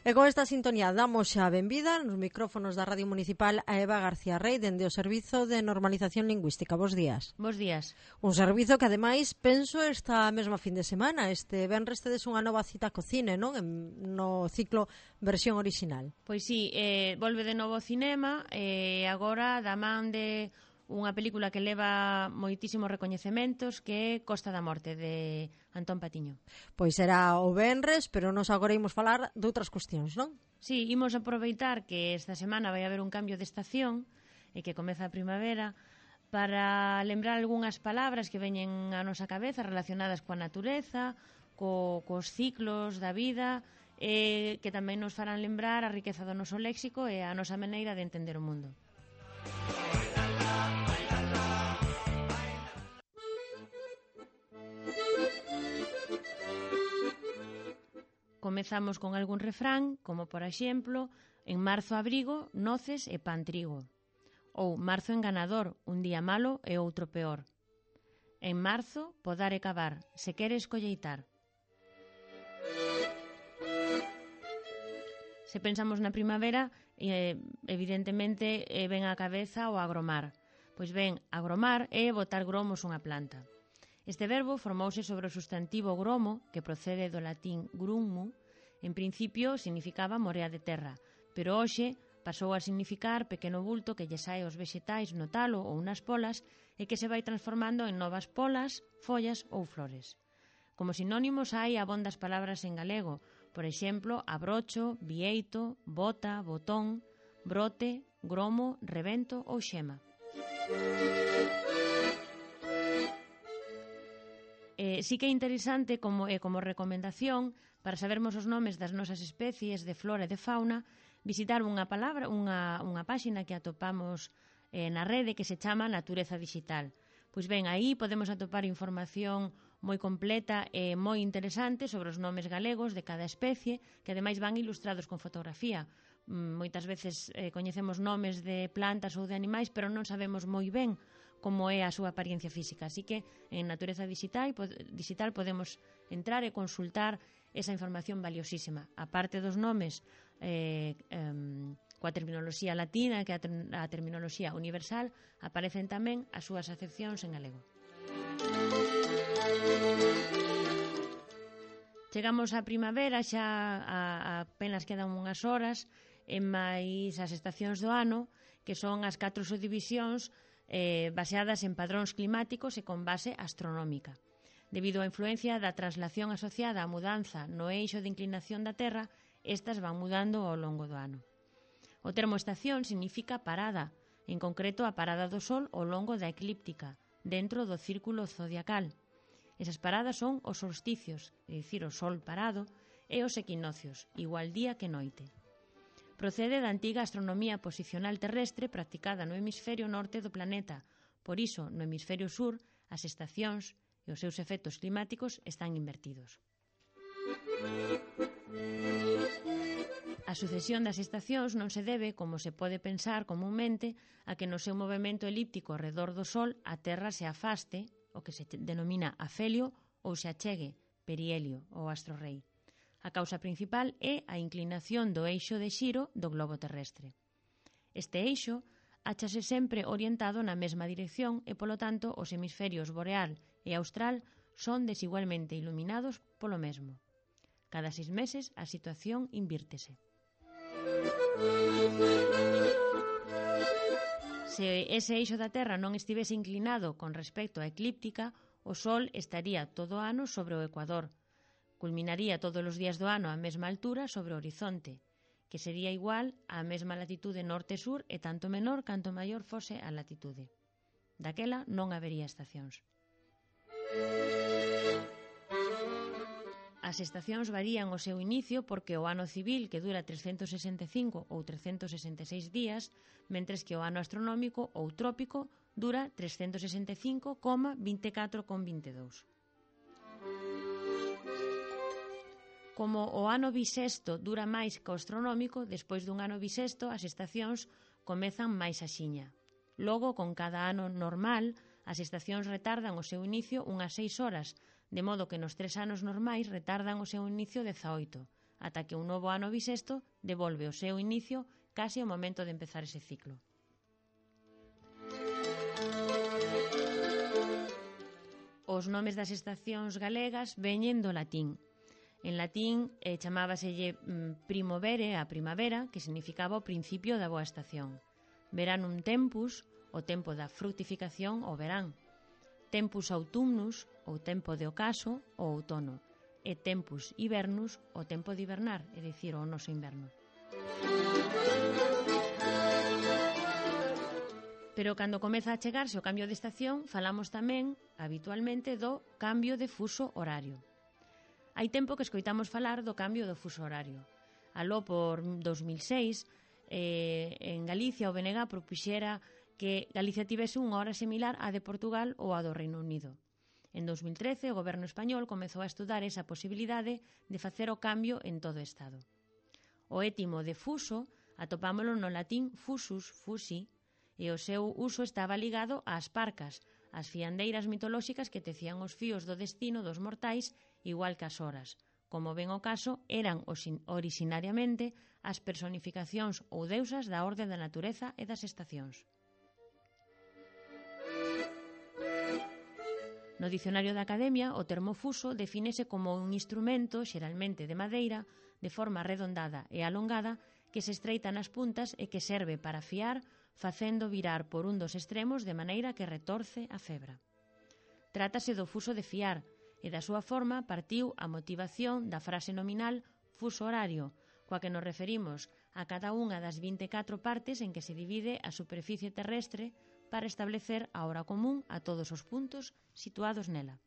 E con esta sintonía damos xa a benvida nos micrófonos da Radio Municipal a Eva García Rey dende o Servizo de Normalización Lingüística. Bos días. Bos días. Un servizo que ademais penso esta mesma fin de semana. Este venres tedes unha nova cita co cine, non? No ciclo versión original. Pois sí, volve de novo ao cinema e agora da man de unha película que leva moitísimos recoñecementos, que é Costa da Morte, de Antón Patiño. Pois será o venres, pero nos agora imos falar de outras cuestións, non? Sí, imos aproveitar que esta semana vai haber un cambio de estación e que comeza a primavera para lembrar algunhas palabras que veñen á nosa cabeza relacionadas coa natureza, cos ciclos da vida, e que tamén nos farán lembrar a riqueza do noso léxico e a nosa maneira de entender o mundo. Comezamos con algún refrán, como por exemplo, en marzo abrigo, noces e pan trigo. Ou marzo enganador, un día malo e outro peor. En marzo, podar e cavar, se queres colleitar. Se pensamos na primavera, evidentemente ven á cabeza o agromar. Pois ben, agromar é botar gromos unha planta. Este verbo formouse sobre o substantivo gromo, que procede do latín grummu. En principio significaba morea de terra, pero hoxe pasou a significar pequeno bulto que lle sae aos vexetais no talo ou nas polas e que se vai transformando en novas polas, follas ou flores. Como sinónimos hai abondas palabras en galego, por exemplo, abrocho, bieito, bota, botón, brote, gromo, rebento ou xema. Sí que é interesante como recomendación para sabermos os nomes das nosas especies de flora e de fauna, visitar unha páxina que atopamos na rede que se chama Natureza Digital. Pois ben, aí podemos atopar información moi completa e moi interesante sobre os nomes galegos de cada especie, que ademais van ilustrados con fotografía. Moitas veces coñecemos nomes de plantas ou de animais, pero non sabemos moi ben como é a súa apariencia física. Así que en Natureza Digital podemos entrar e consultar esa información valiosísima. A parte dos nomes coa terminoloxía latina, que é a terminoloxía universal, aparecen tamén as súas acepcións en galego. Chegamos á primavera, xa apenas quedan unhas horas, e máis as estacións do ano, que son as 4 subdivisións baseadas en padróns climáticos e con base astronómica. Debido á influencia da traslación asociada á mudanza no eixo de inclinación da Terra, estas van mudando ao longo do ano. O termo estación significa parada, en concreto a parada do Sol ao longo da eclíptica, dentro do círculo zodiacal. Esas paradas son os solsticios, é dicir, o Sol parado, e os equinocios, igual día que noite. Procede da antiga astronomía posicional terrestre practicada no hemisferio norte do planeta. Por iso, no hemisferio sur, as estacións e os seus efectos climáticos están invertidos. A sucesión das estacións non se debe, como se pode pensar comúnmente, a que no seu movimento elíptico ao redor do Sol a Terra se afaste, o que se denomina afelio, ou se achegue, perihelio, ou astrorrei. A causa principal é a inclinación do eixo de xiro do globo terrestre. Este eixo áchase sempre orientado na mesma dirección e, polo tanto, os hemisferios boreal e austral son desigualmente iluminados polo mesmo. Cada 6 meses a situación invírtese. Se ese eixo da Terra non estivese inclinado con respecto á eclíptica, o Sol estaría todo o ano sobre o ecuador. Culminaría todos os días do ano á mesma altura sobre o horizonte, que sería igual á mesma latitude norte-sur e tanto menor canto maior fose a latitude. Daquela non habería estacións. As estacións varían o seu inicio porque o ano civil, que dura 365 ou 366 días, mentres que o ano astronómico ou trópico dura 365,24,22. Como o ano bisexto dura máis que o astronómico, despois dun ano bisexto as estacións comezan máis axiña. Logo, con cada ano normal, as estacións retardan o seu inicio unhas 6 horas, de modo que nos 3 anos normais retardan o seu inicio 18, ata que un novo ano bisexto devolve o seu inicio case ao momento de empezar ese ciclo. Os nomes das estacións galegas veñen do latín. En latín chamábaselle primovere, a primavera, que significaba o principio da boa estación. Veranum tempus, o tempo da fructificación, o verán. Tempus autumnus, o tempo de ocaso, o outono. E tempus hibernus, o tempo de hibernar, é dicir, o noso inverno. Pero cando comeza a chegarse o cambio de estación, falamos tamén, habitualmente, do cambio de fuso horario. Hai tempo que escoitamos falar do cambio do fuso horario. Aló por 2006, en Galicia o BNG propuxera que Galicia tivese unha hora similar á de Portugal ou á do Reino Unido. En 2013, o goberno español comezou a estudar esa posibilidade de facer o cambio en todo o Estado. O étimo de fuso atopámolo no latín fusus, fusi, e o seu uso estaba ligado ás parcas, as fiandeiras mitolóxicas que tecían os fíos do destino dos mortais igual que as horas. Como ben o caso, eran originariamente as personificacións ou deusas da orde da natureza e das estacións. No dicionario da Academia, o termo fuso defínese como un instrumento, xeralmente de madeira, de forma redondada e alongada, que se estreita nas puntas e que serve para afiar, facendo virar por un dos extremos de maneira que retorce a febra. Trátase do fuso de fiar, e da súa forma partiu a motivación da frase nominal fuso horario, coa que nos referimos a cada unha das 24 partes en que se divide a superficie terrestre para establecer a hora común a todos os puntos situados nela.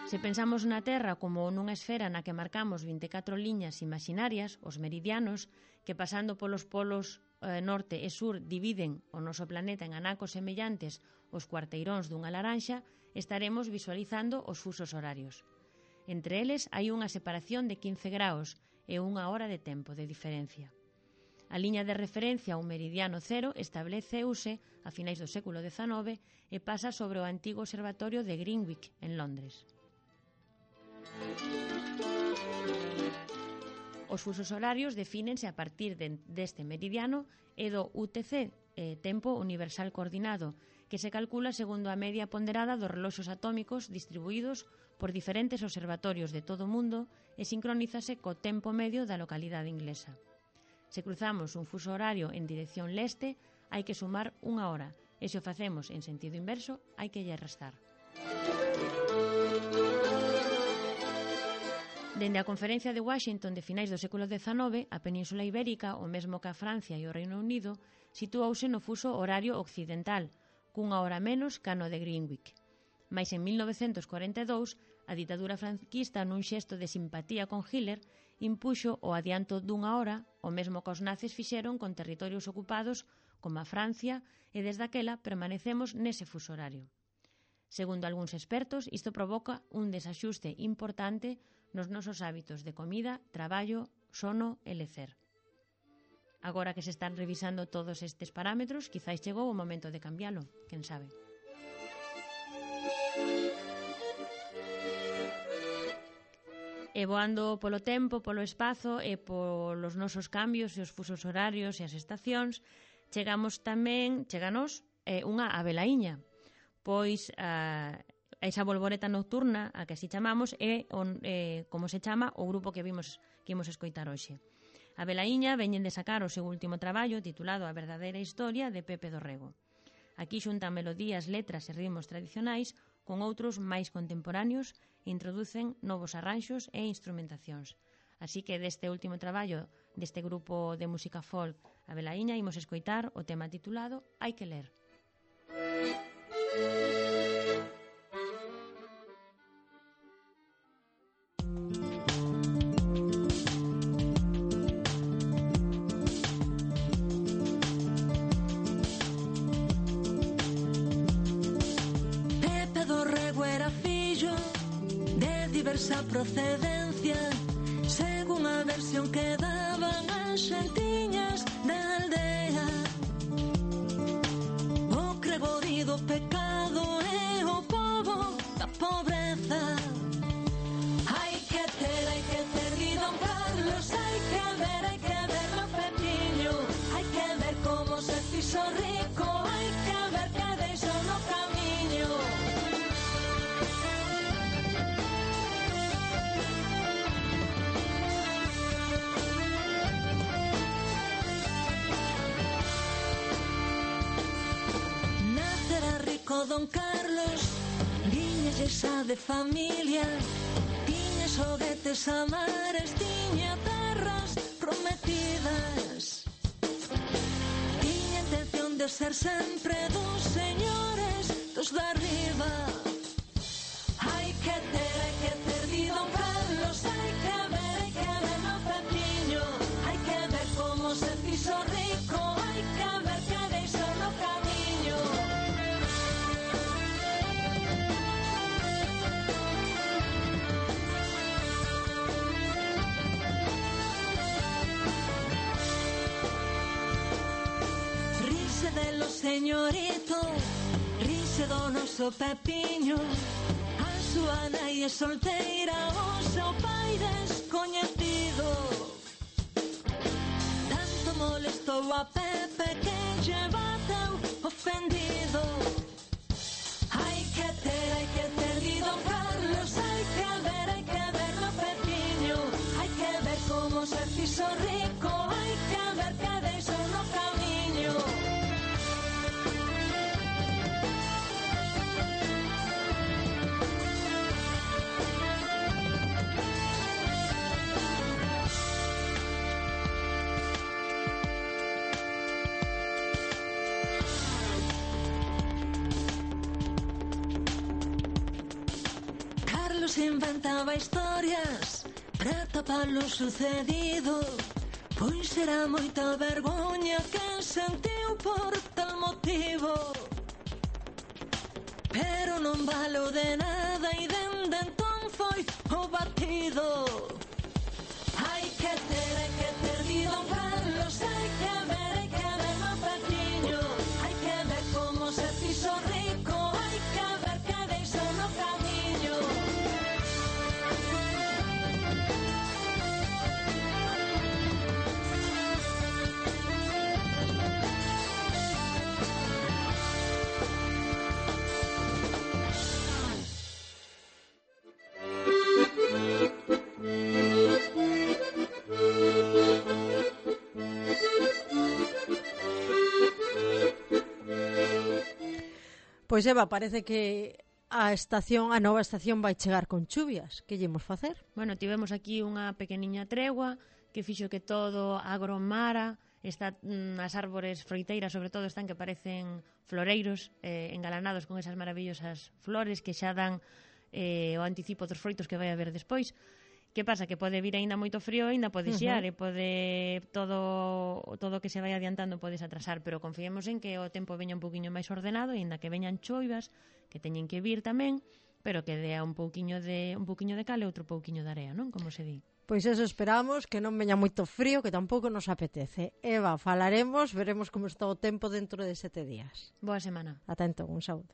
Se pensamos na Terra como nunha esfera na que marcamos 24 liñas imaginarias, os meridianos, que pasando polos polos norte e sur dividen o noso planeta en anacos semellantes aos cuarteiróns dunha laranxa, estaremos visualizando os fusos horarios. Entre eles hai unha separación de 15 graus e unha hora de tempo de diferencia. A liña de referencia ao meridiano cero estableceuse a finais do século XIX e pasa sobre o antigo observatorio de Greenwich, en Londres. Os fusos horarios defínense a partir deste meridiano e do UTC, tempo universal coordinado, que se calcula segundo a media ponderada dos reloxos atómicos distribuídos por diferentes observatorios de todo o mundo e sincronízase co tempo medio da localidade inglesa. Se cruzamos un fuso horario en dirección leste, hai que sumar unha hora, e se o facemos en sentido inverso, hai que lle restar. Dende a Conferencia de Washington de finais do século XIX, a Península Ibérica, o mesmo que a Francia e o Reino Unido, situouse no fuso horario occidental, cunha hora menos que no de Greenwich. Mais en 1942, a ditadura franquista, nun xesto de simpatía con Hitler, impuxo o adianto dunha hora, o mesmo que os nazis fixeron con territorios ocupados como a Francia, e desde aquela permanecemos nese fuso horario. Segundo algúns expertos, isto provoca un desaxuste importante nos nosos hábitos de comida, traballo, sono e lecer. Agora que se están revisando todos estes parámetros, quizáis chegou o momento de cambialo, quen sabe. E voando polo tempo, polo espazo e polos nosos cambios e os fusos horarios e as estacións, cheganos unha abelaíña, pois esa bolboreta nocturna, a que así chamamos, é como se chama o grupo que imos escoitar hoxe. A velaíña veñen de sacar o seu último traballo titulado A verdadeira historia de Pepe Dorrego. Aquí xuntan melodías, letras e ritmos tradicionais con outros máis contemporáneos e introducen novos arranxos e instrumentacións. Así que deste último traballo deste grupo de música folk A velaíña imos escoitar o tema titulado Hai que ler. Diversa procedencia, según a versión que daban as xentiñas da aldea. O creborí do pecado e o pobo da pobreza, don Carlos, viña xa de familia, tiña xoguetes a mares, tiña terras prometidas, tiña intención de ser sempre dos señores dos de arriba. Hai que ter di don Carlos, hai que ver no Pepiño, hai que ver como se fixo rico, hai que ver que deixou no camiño. Rise de los señorito, rise do noso Pepiño, a súa nai é solteira, o seu pai descoñecido. Tanto molestou a Pepe que lle bateu ofendido. Hai que ter di don Carlos, hai que ver no Pepiño, hai que ver como se fixo rico, hai que ver que deixou no camiño. Carlos inventaba historias para tapar lo sucedido, pois era moita vergoña que sentiu por tal motivo. Pero non valeu de nada e dende entón foi o batido. Hai que ter di don Carlos, hai que ver no Pepiño, hai que ver como se fixo rico, hai que ver que deixou no camiño. Pois Eva, parece que a nova estación vai chegar con chuvias. Que llemos facer? Bueno, tivemos aquí unha pequeniña tregua que fixo que todo agromara, as árbores froiteiras sobre todo están que parecen floreiros engalanados con esas maravillosas flores que xa dan o anticipo dos froitos que vai haber despois. Que pasa? Que pode vir aínda moito frío, aínda pode xear e pode todo que se vai adiantando podes atrasar, pero confiemos en que o tempo veña un poquinho máis ordenado e aínda que veñan choivas, que teñen que vir tamén, pero que dea un pouquiño de cal e outro pouquiño de area, non? Como se di. Pois eso esperamos, que non veña moito frío, que tampouco nos apetece. Eva, falaremos, veremos como está o tempo dentro de 7 días. Boa semana. Ata entón, un saúdo.